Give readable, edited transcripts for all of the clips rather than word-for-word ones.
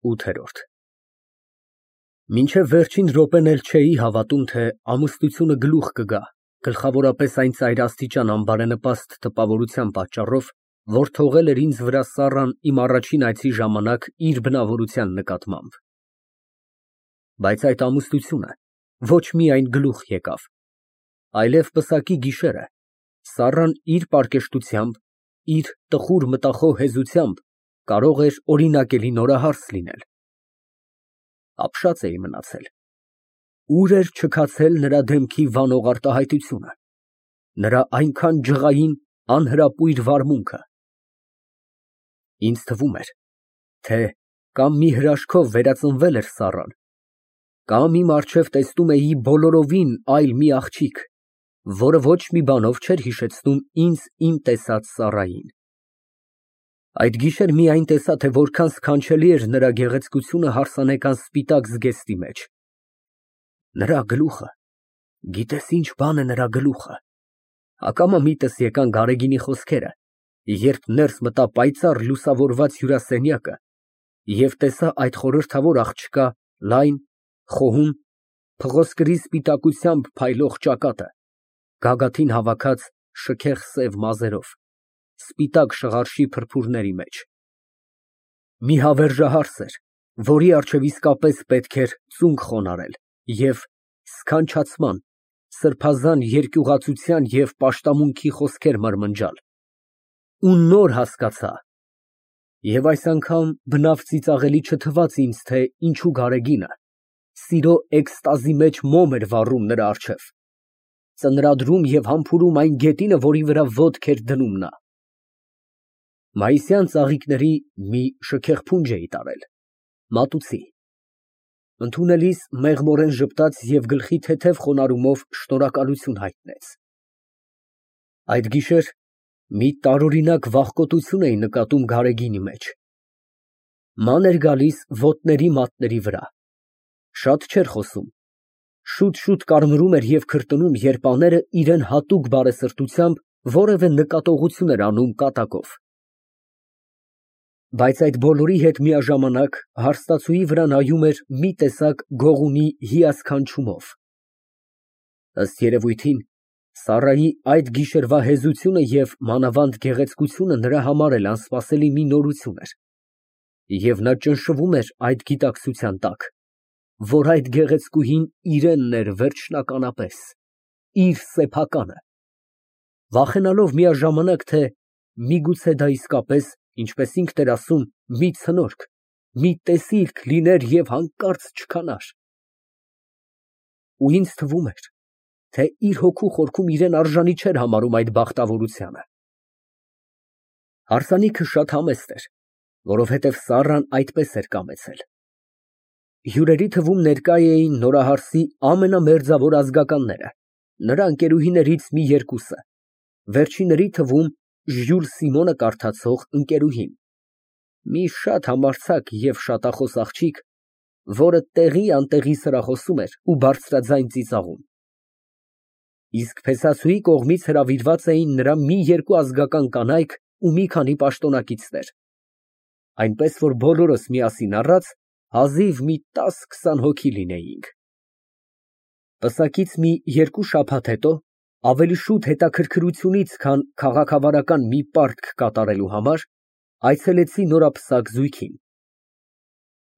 8։ Մինչև վերջին րոպեն էլ չէի հավատում, թե ամուսնությունը գլուխ կգա, գլխավորապես այն ծայրաստիճան անբարենպաստ տպավորության պատճառով, որ թողել էր ինձ վրա Սառան իմ առաջին այցի ժամանակ իր բնավորության նկատմամբ։ Բայց այդ ամուսնությունը ոչ միայն գլուխ եկավ, այլև պսակի գիշերը Սառան իր պարկեշտությամբ, իր տխուր մտախոհ հեզությամբ կարող էր օրինակելի նորահարս լինել։ Ապշած էի մնացել։ Ուր էր չքացել նրա դեմքի վանող արտահայտությունը, նրա այնքան ջղային, անհրապույր վարմունքը։ Ինձ թվում էր, թե կամ մի հրաշքով վերածնվել էր Սառան, կամ իմ առջև տեսնում էի բոլորովին այլ մի աղջիկ, որը ոչ մի բանով չէր հիշեցնում ինձ իմ տեսած Սառային։ Այդ գիշեր միայն տեսա, թե որքան սքանչելի էր նրա գեղեցկությունը հարսանեկան սպիտակ զգեստի մեջ։ Նրա գլուխը, գիտես ինչ բան է նրա գլուխը։ Ակամա միտս եկան Գարեգինի խոսքերը, երբ ներս մտա պայծառ լուսավորված հյուրասենյակը և տեսա այդ խորհրդավոր աղջկա լայն, խոհուն, փղոսկրի սպիտակությամբ փայլող ճակատը, գագաթին հավաքած շքեղ սև մազերով, սպիտակ շղարշի փրփուրների մեջ։ Մի հավերժահարս էր, որի առջև իսկապես պետք էր ծունկ խոնարհել և սքանչացման, սրբազան երկյուղացության և պաշտամունքի խոսքեր մրմնջալ։ Ու նոր հասկացա, և այս անգամ բնավ ծիծաղելի չթվաց ինձ, թե ինչու Գարեգինը սիրո էքստազի մեջ մոմ էր վառում նրա առջև, ծնրադրում և համբուրում այն գետինը, որի վրա ոտք էր դնում նա։ Մայիսյան ծաղիկների մի շքեղ փունջ էի տարել, մատուցի, ընդունելիս մեղմորեն ժպտաց և գլխի թեթև խոնարհումով շնորհակալություն հայտնեց։ Այդ գիշեր մի տարօրինակ վախկոտություն էի նկատում Գարեգինի մեջ։ Ման էր գալիս ոտների մատների վրա, շատ չէր խոսում, շուտ կարմրում էր և քրտնում, երբ աները իրան հատուկ բարեսրտությամբ որևէ նկատողություն էր անում կատակով։ Բայց այդ բոլորի հետ միաժամանակ հարստացուի վրա նայում էր մի տեսակ գողունի հիասքանչումով։ Ըստ երևույթին, Սառայի այդ գիշերվա հեզությունը և մանավանդ գեղեցկությունը նրա համար էլ անսպասելի մի նորություն էր, և նա ճնշվում էր այդ գիտակցության տակ, որ այդ գեղեցկուհին իրենն էր վերջնականապես, իր սեփականը, վախենալով միաժամանակ, թե միգուցե դա իսկապես, ինչպես ինքն էր ասում, մի ցնորք, մի տեսիլք լիներ և հանկարծ չքանար։ Ու ինձ թվում էր, թե իր հոգու խորքում իրեն արժանի չէր համարում այդ բախտավորությանը։ Հարսանիքը շատ համեստ էր, որովհետև Սառան այդպես էր կամեցել։ Հյուրերի թվում ներկա էին նորահարսի ամենամերձավոր ազգականները, նրա ընկերուհիներից մի երկուսը, վերջինների թվում Ժյուլ Սիմոնը կարդացող ընկերուհին, մի շատ համարձակ և շատախոս աղջիկ, որը տեղի֊անտեղի սրախոսում էր ու բարձրաձայն ծիծաղում։ Իսկ փեսացուի կողմից հրավիրված էին նրա մի երկու ազգական կանայք ու մի քանի պաշտոնակիցներ, այնպես որ բոլորս միասին առած հազիվ մի 10-20 հոգի լինեինք։ Պսակից մի երկու շաբաթ հետո, ավելի շուտ հետաքրքրությունից, քան քաղաքավարական մի պարտք կատարելու համար, այցելեցի նորապսակ զույգին։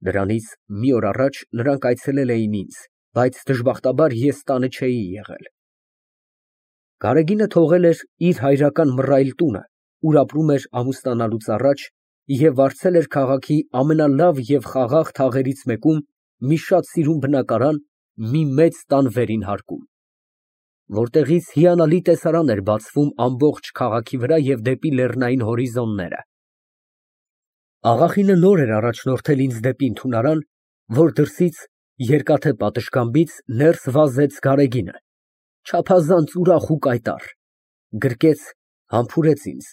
Դրանից մի օր առաջ նրանք այցելել էին ինձ, բայց դժբախտաբար ես տանը չէի եղել։ Գարեգինը թողել էր իր հայրական մռայլ տունը, ուր ապրում էր ամուսնանալուց առաջ, և վարձել էր քաղաքի ամենալավ և խաղաղ թաղերից մեկում մի շատ սիրուն բնակարան մի մեծ տան վերին հարկում, որտեղից հիանալի տեսարան էր բացվում ամբողջ քաղաքի վրա և դեպի լեռնային հորիզոնները։ Աղախինը նոր էր առաջնորդել ինձ դեպի ընդունարան, որ դրսից, երկաթե պատշգամբից ներս վազեց Գարեգինը, չափազանց ուրախ ու կայտառ, գրկեց, համբուրեց ինձ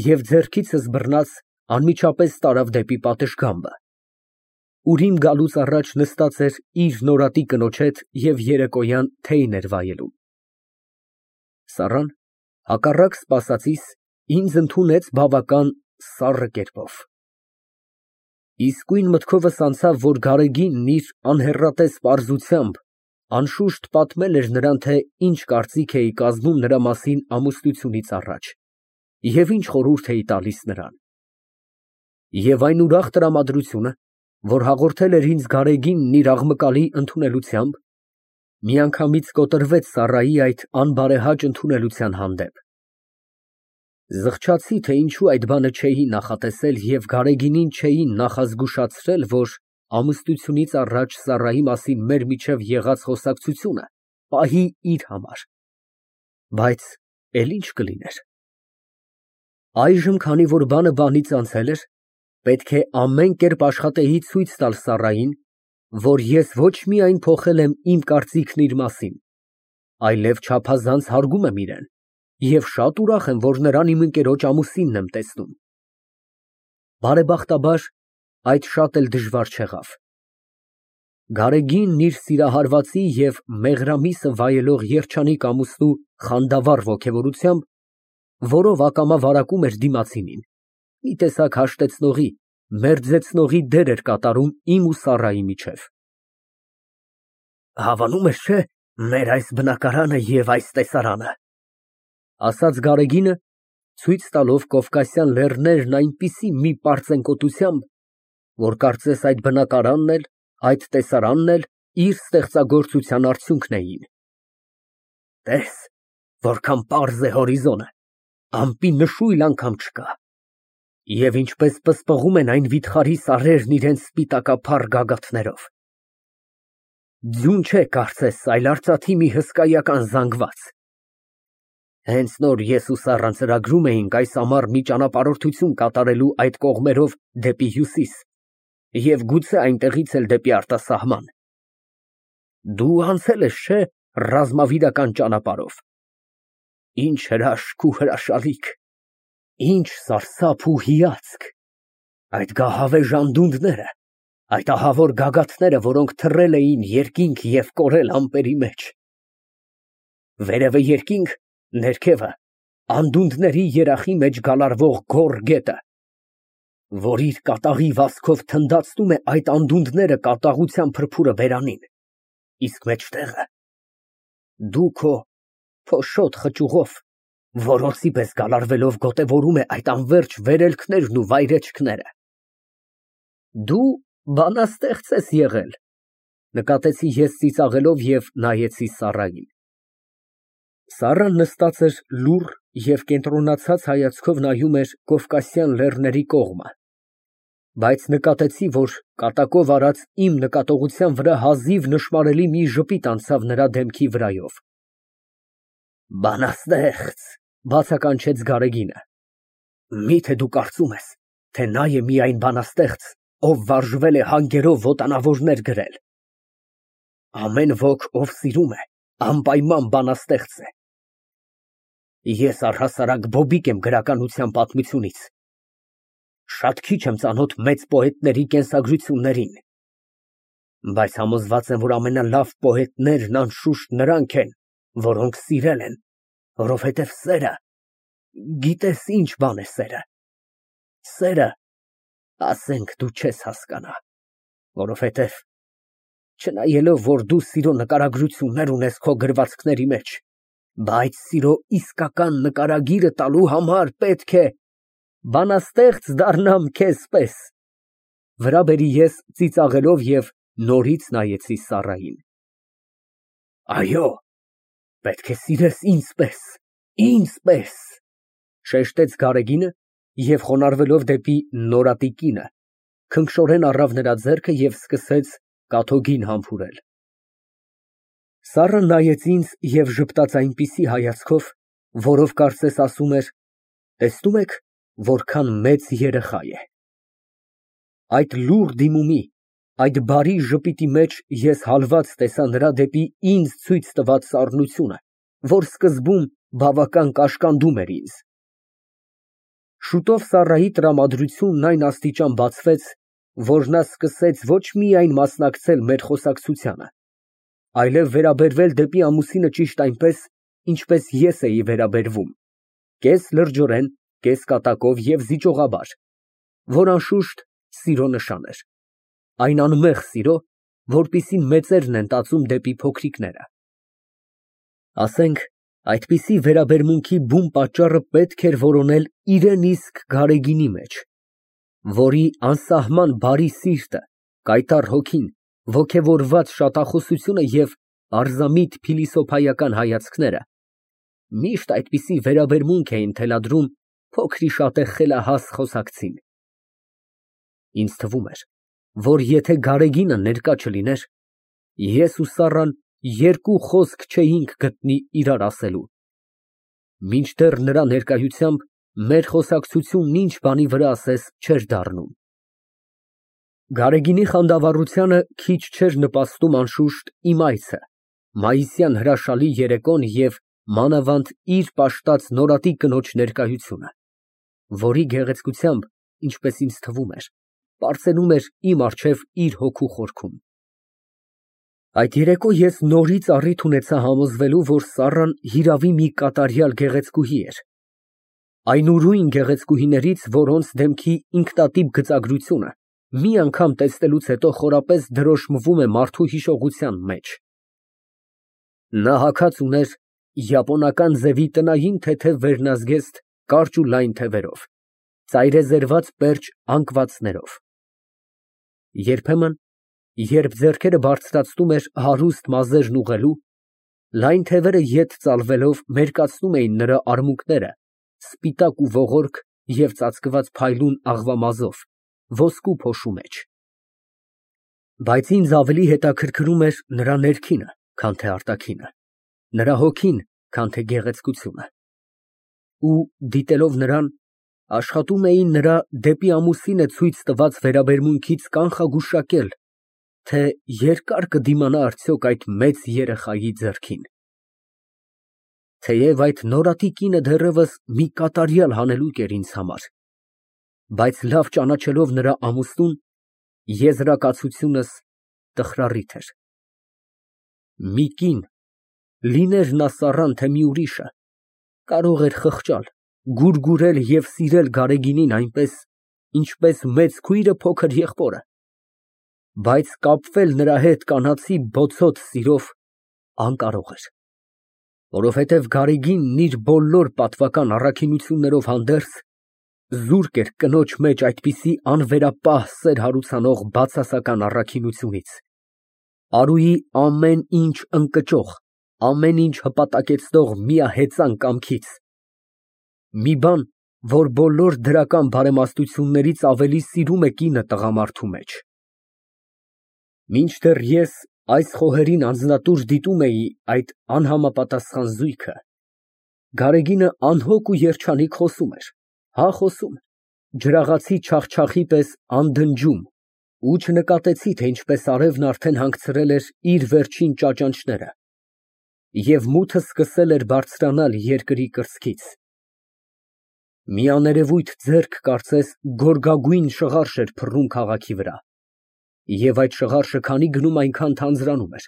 և ձեռքիցս բռնած անմիջապես տարավ դեպի պատշգամբը, ուր իմ գալուց առաջ նստած էր իր նորատի կնոջ հետ և երեկոյան թեյն էր վայելում։ Սառան, հակառակ սպասածիս, ինձ ընդունեց բավական սառը կերպով։ Իսկույն մտքովս անցավ, որ Գարեգինն իր անհեռատես պարզությամբ անշուշտ պատմել էր նրան, թե ինչ կարծիք էի կազմում նրա մասին ամուսնությունից առաջ և ինչ խորհուրդ էի տալիս նրան։ Եվ այն ուրախ տրամադրությունը, որ հաղորդել էր ինձ Գարեգինն իր աղմկալի ընդունելությամբ, միանգամից կոտրվեց Սառայի այդ անբարեհաճ ընդունելության հանդեպ։ Զղջացի, թե ինչու այդ բանը չէի նախատեսել և Գարեգինին չէի նախազգուշացրել, որ ամուսնությունից առաջ Սառայի մասին մեր միջև եղած խոսակցությունը պահի իր համար, բայց էլ ինչ կլիներ։ Այժմ, քանի որ բանը բանից անցել էր, պետք է ամեն կերպ աշխատեի ցույց տալ Սառային, որ ես ոչ միայն փոխել եմ իմ կարծիքն իր մասին, այլև չափազանց հարգում եմ իրան և շատ ուրախ եմ, որ նրան իմ ընկերոջ ամուսինն եմ տեսնում։ Բարեբախտաբար, այդ շատ էլ դժվար չեղավ։ Գարեգինն իր սիրահարվածի և մեղրամիսը վայելող երջանիկ ամուսնու խանդավառ ոգևորությամբ, որով ակամա վարակում էր դիմացինին, մի տեսակ հաշտեցնողի, մերձեցնողի դեր էր կատարում իմ ու Սառայի միջև։ Հավանում ես, չէ՞, մեր այս բնակարանը և այս տեսարանը, ասաց Գարեգինը, ցույց տալով Կովկասյան լեռներն այնպիսի մի պարծենկոտությամբ, որ կարծես այդ բնակարանն էլ, այդ տեսարանն էլ իր ստեղծագործության արդյունքն էին։ Տես, որքան պարզ է հորիզոնը, ամպի նշույլ անգամ չկա։ Եվ ինչպես պսպղում են այն վիթխարի սարերն իրենց սպիտակափառ գագաթներով։ Ձյուն չէ, կարծես, այլ արծաթի մի հսկայական զանգված։ Հենց նոր ես ու Սառան ծրագրում էինք այս ամառ մի ճանապարհորդություն կատարելու այդ կողմերով դեպի հյուսիս և գուցե այնտեղից էլ դեպի արտասահման։ Դու անցել ես, չէ՞, ռազմավիրական ճանապարհով։ Ինչ հրաշք ու հրաշալիք, ինչ սարսափ ու հիացք, այդ գահավեժ անդունդները, այդ ահավոր գագաթները, որոնք թռել էին երկինք և կորել ամպերի մեջ։ Վերևը երկինք, ներքևը անդունդների երախի մեջ գալարվող գոռ գետը, որ իր կատաղի վազքով թնդացնում է այդ անդունդները կատաղության փրփուրը բերանին, իսկ մեջտեղը դու քո փոշոտ խճուղով որոցի պես գալարվելով գոտևորում է այդ անվերջ վերելքներն ու վայրեջքները։ Դու բանաստեղծ ես եղել, նկատեցի ես ծիծաղելով և նայեցի Սառային։ Սառան նստած էր լուռ և կենտրոնացած հայացքով նայում էր Կովկասյան լեռների կողմը, բայց նկատեցի, որ կատակով արած իմ նկատողության վրա հազիվ նշմարելի մի ժպիտ անցավ նրա դեմքի վրայով։ Բանաստեղծ, բացականչեց Գարեգինը։ Միթե դու կարծում ես, թե նա է միայն բանաստեղծ, ով վարժվել է հանգերով ոտանավորներ գրել։ Ամեն ոք, ով սիրում է, անպայման բանաստեղծ է։ Ես առհասարակ բոբիկ եմ գրականության պատմությունից։ Շատ քիչ եմ ծանոթ մեծ պոետների կենսագրություններին, բայց համոզված եմ, որ ամենալավ պոետներն անշուշտ նրանք են, որոնք սիրել են, որովհետև սերը, գիտես ինչ բան է սերը։ Սերը, ասենք, դու չես հասկանա, որովհետև չնայելով, որ դու սիրո նկարագրություններ ունես քո գրվածքների մեջ, բայց սիրո իսկական նկարագիրը տալու համար պետք է բանաստեղծ դառնամ քեզ պես, վրա բերի ես ծիծաղելով և նորից նայեցի Սառային։ Այո, պետք է սիրես ինձ պես, շեշտեց Գարեգինը և խոնարհվելով դեպի նորատի կինը, քնքշորեն առավ նրա ձեռքը և սկսեց կաթոգին համբուրել։ Սառան նայեց ինձ և ժպտաց այնպիսի հայացքով, որով կարծես ասում էր. տեսնում եք, որքան մեծ երեխա է։ Այդ լուռ դիմումի, այդ բարի ժպիտի մեջ ես հալված տեսա նրա դեպի ինձ ցույց տված սառնությունը, որ սկզբում բավական կաշկանդում էր ինձ։ Շուտով Սառայի տրամադրությունն այն աստիճան բացվեց, որ նա սկսեց ոչ միայն մասնակցել մեր խոսակցությանը, այլև վերաբերվել դեպի ամուսինը ճիշտ այնպես, ինչպես ես էի վերաբերվում, կես լրջորեն, կես կատակով և զիջողաբար, որ անշուշտ սիրո նշան էր, այն անմեղ սիրո, որպիսին մեծերն են տածում դեպի փոքրիկները։ Ասենք, այդպիսի վերաբերմունքի բուն պատճառը պետք էր որոնել իրան իսկ Գարեգինի մեջ, որի անսահման բարի սիրտը, կայտառ հոգին, ոգևորված շատախոսությունը և պարզամիտ փիլիսոփայական հայացքները միշտ այդպիսի վերաբերմունք էին թելադրում փոքրիշատե խելահաս խոսակցին։ Ինձ թվում էր, որ եթե Գարեգինը ներկա չլիներ, ես ու Սառան երկու խոսք չէինք գտնի իրար ասելու, մինչդեռ նրա ներկայությամբ մեր խոսակցությունն ինչ բանի վրա ասես չէր դառնում։ Գարեգինի խանդավառությանը քիչ չէր նպաստում անշուշտ իմ այցը, մայիսյան հրաշալի երեկոն և մանավանդ իր պաշտած նորատի կնոջ ներկայությունը, որի գեղեցկությամբ, ինչպես ինձ թվում էր, պարծենում էր իմ առջև իր հոգու խորքում։ Այդ երեկո ես նորից առիթ ունեցա համոզվելու, որ Սառան հիրավի մի կատարյալ գեղեցկուհի էր, այն ուրույն գեղեցկուհիներից, որոնց դեմքի ինքնատիպ գծագրությունը մի անգամ տեսնելուց հետո խորապես դրոշմվում է մարդու հիշողության մեջ։ Նա հագած ուներ յապոնական ձևի տնային թեթև վերնազգեստ կարճ ու լայն թևերով, ծայրեզերված պերճ անկվածներով։ Երբեմն, երբ ձեռքերը բարձրացնում էր հարուստ մազերն ուղղելու, լայն թևերը ետ ծալվելով մերկացնում էին նրա արմունկները սպիտակ ու ողորկ և ծածկված փայլուն աղվամազով, ոսկու փոշու մեջ։ Բայց ինձ ավելի հետաքրքրում էր նրա ներքինը, քան թե արտաքինը, նրա հոգին, քան թե գեղեցկությունը։ Ու, դիտելով նրան, աշխատում էի նրա դեպի ամուսինը ցույց տված վերաբերմունքից կանխագուշակել, թե երկա՞ր կդիմանա արդյոք այդ մեծ երեխայի ձեռքին։ Թեև այդ նորատի կինը դեռևս մի կատարյալ հանելուկ էր ինձ համար, բայց լավ ճանաչելով նրա ամուսնուն, եզրակացությունս տխրառիթ էր։ Մի կին, լիներ նա Սառան, թե մի ուրիշը, կարող էր խղճալ, գուրգուրել և սիրել Գարեգինին այնպես, ինչպես մեծ քույրը փոքր եղբորը, բայց կապվել նրա հետ կանացի բոցոտ սիրով անկարող էր, որովհետև Գարեգինն իր բոլոր պատվական առաքինություններով հանդերձ զուրկ էր կնոջ մեջ այդպիսի անվերապահ սեր հարուցանող բացասական առաքինությունից, արուի ամեն ինչ ընկճող, ամեն ինչ հպատակեցնող միահեծան կամքից, մի բան, որ բոլոր դրական բարեմաստություններից ավելի սիրում է կինը տղամարդու մեջ։ Մինչդեռ ես այս խոհերին անձնատուր դիտում էի այդ անհամապատասխան զույգը, Գարեգինը անհոգ ու երջանիկ խոսում էր, հա խոսում, ջրաղացի չախչախի պես անդնջում, ու չնկատեցի, թե ինչպես արևն արդեն հանգցրել էր իր վերջին ճաճանճները, և մութը սկսել էր բարձրանալ երկրի կրծքից։ Մի աներևույթ ձեռք կարծես գորգագույն շղարշ էր փռում քաղաքի վրա, և այդ շղարշը քանի գնում այնքան թանձրանում էր։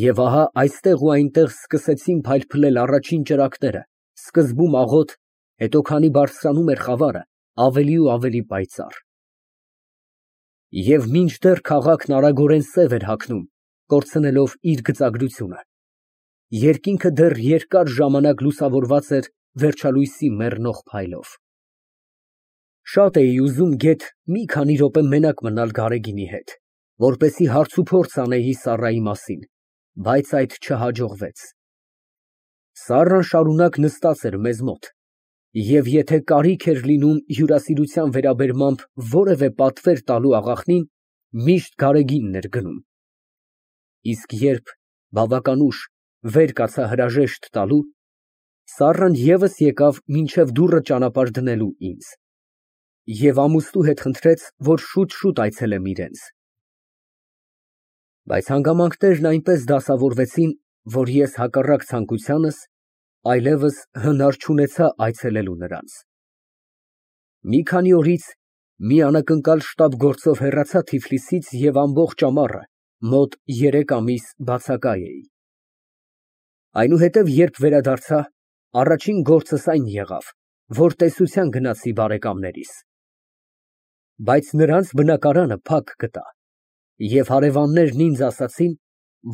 Եվ ահա այստեղ ու այնտեղ սկսեցին փայլփլել առաջին ճրագները, սկզբում աղոտ, հետո քանի բարձրանում էր խավարը, ավելի ու ավելի պայծառ։ Եվ մինչդեռ քաղաքն արագորեն սև էր հագնում, կորցնելով իր գծագրությունը, երկինքը դեռ երկար ժամանակ լուսավորված էր վերջալույսի մեռնող փայլով։ Շատ էի ուզում գեթ մի քանի րոպե մենակ մնալ Գարեգինի հետ, որպեսզի հարցուփորձ անեի Սառայի մասին, բայց այդ չհաջողվեց։ Սառան շարունակ նստած էր մեզ մոտ, և եթե կարիք էր լինում հյուրասիրության վերաբերմամբ որևէ պատվեր տալու աղախնին, միշտ Գարեգինն էր գնում։ Իսկ երբ, բավական ուշ, վեր կացա հրաժեշտ տալու, Սառան ևս եկավ մինչև դուռը ճանապարհ դնելու ինձ, և ամուսնու հետ խնդրեց, որ շուտ այցելեմ իրենց։ Բայց հանգամանքներն այնպես դասավորվեցին, որ ես հակառակ ցանկությանս այլևս հնար չունեցա այցելելու նրանց։ Մի քանի օրից մի անակնկալ շտապ գործով հեռացա Թիֆլիսից և ամբողջ ամառը, մոտ 3 ամիս բացակա էի։ Այնուհետև երբ վերադարձա, առաջին գործս այն եղավ, որ տեսության գնացի բարեկամներիս։ Բայց նրանց բնակարանը փակ գտա, և հարևաններն ինձ ասացին,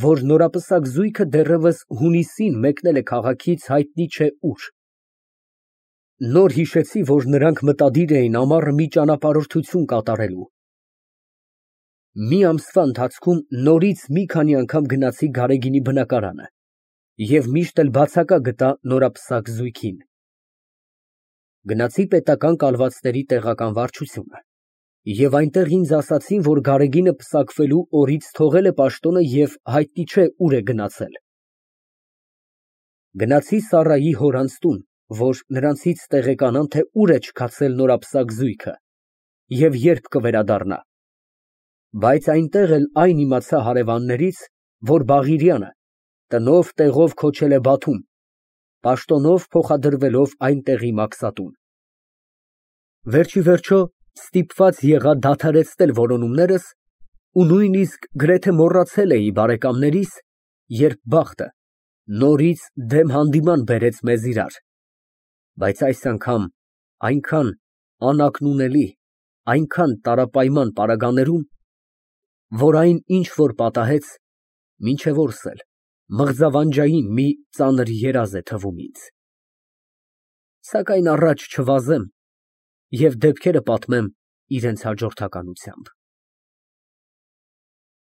որ նորապսակ զույգը դեռևս հունիսին մեկնել է քաղաքից հայտնի չէ ուր։ Նոր հիշեցի, որ նրանք մտադիր էին ամառը մի ճանապարհորդություն կատարելու։ Մի ամսվա ընթացքում նորից մի քանի անգամ գնացի Գարեգինի բնակարանը և միշտ էլ բացակա գտա նորապսակ զույգին։ Գնացի պետական կալվածների տեղական վարչությունը և այնտեղ ինձ ասացին, որ Գարեգինը պսակվելու օրից թողել է պաշտոնը և հայտնի չէ ուր է գնացել։ Գնացի Սառայի հորանց տուն, որ նրանցից տեղեկանան, թե ուր է չքացել նորապսակ զույգը և երբ կվերադառնա, բայց այնտեղ էլ այն իմացա հարևաններից, որ Բաղիրյանը տնով տեղով քոչել է Բաթում, պաշտոնով փոխադրվելով այնտեղի մաքսատուն։ Վերջիվերջո ստիպված եղա դադարեցնել որոնումներս ու նույնիսկ գրեթե մոռացել էի բարեկամներիս, երբ բախտը նորից դեմ հանդիման բերեց մեզ իրար, բայց այս անգամ այնքան անակնունելի, այնքան տարապայման պարագաներում, որ այն, ինչ որ պատահեց, մինչև օրս էլ մղձավանջային մի ծանր երազ է թվում ինձ։ Սակայն առաջ չվազեմ և դեպքերը պատմեմ իրենց հաջորդականությամբ։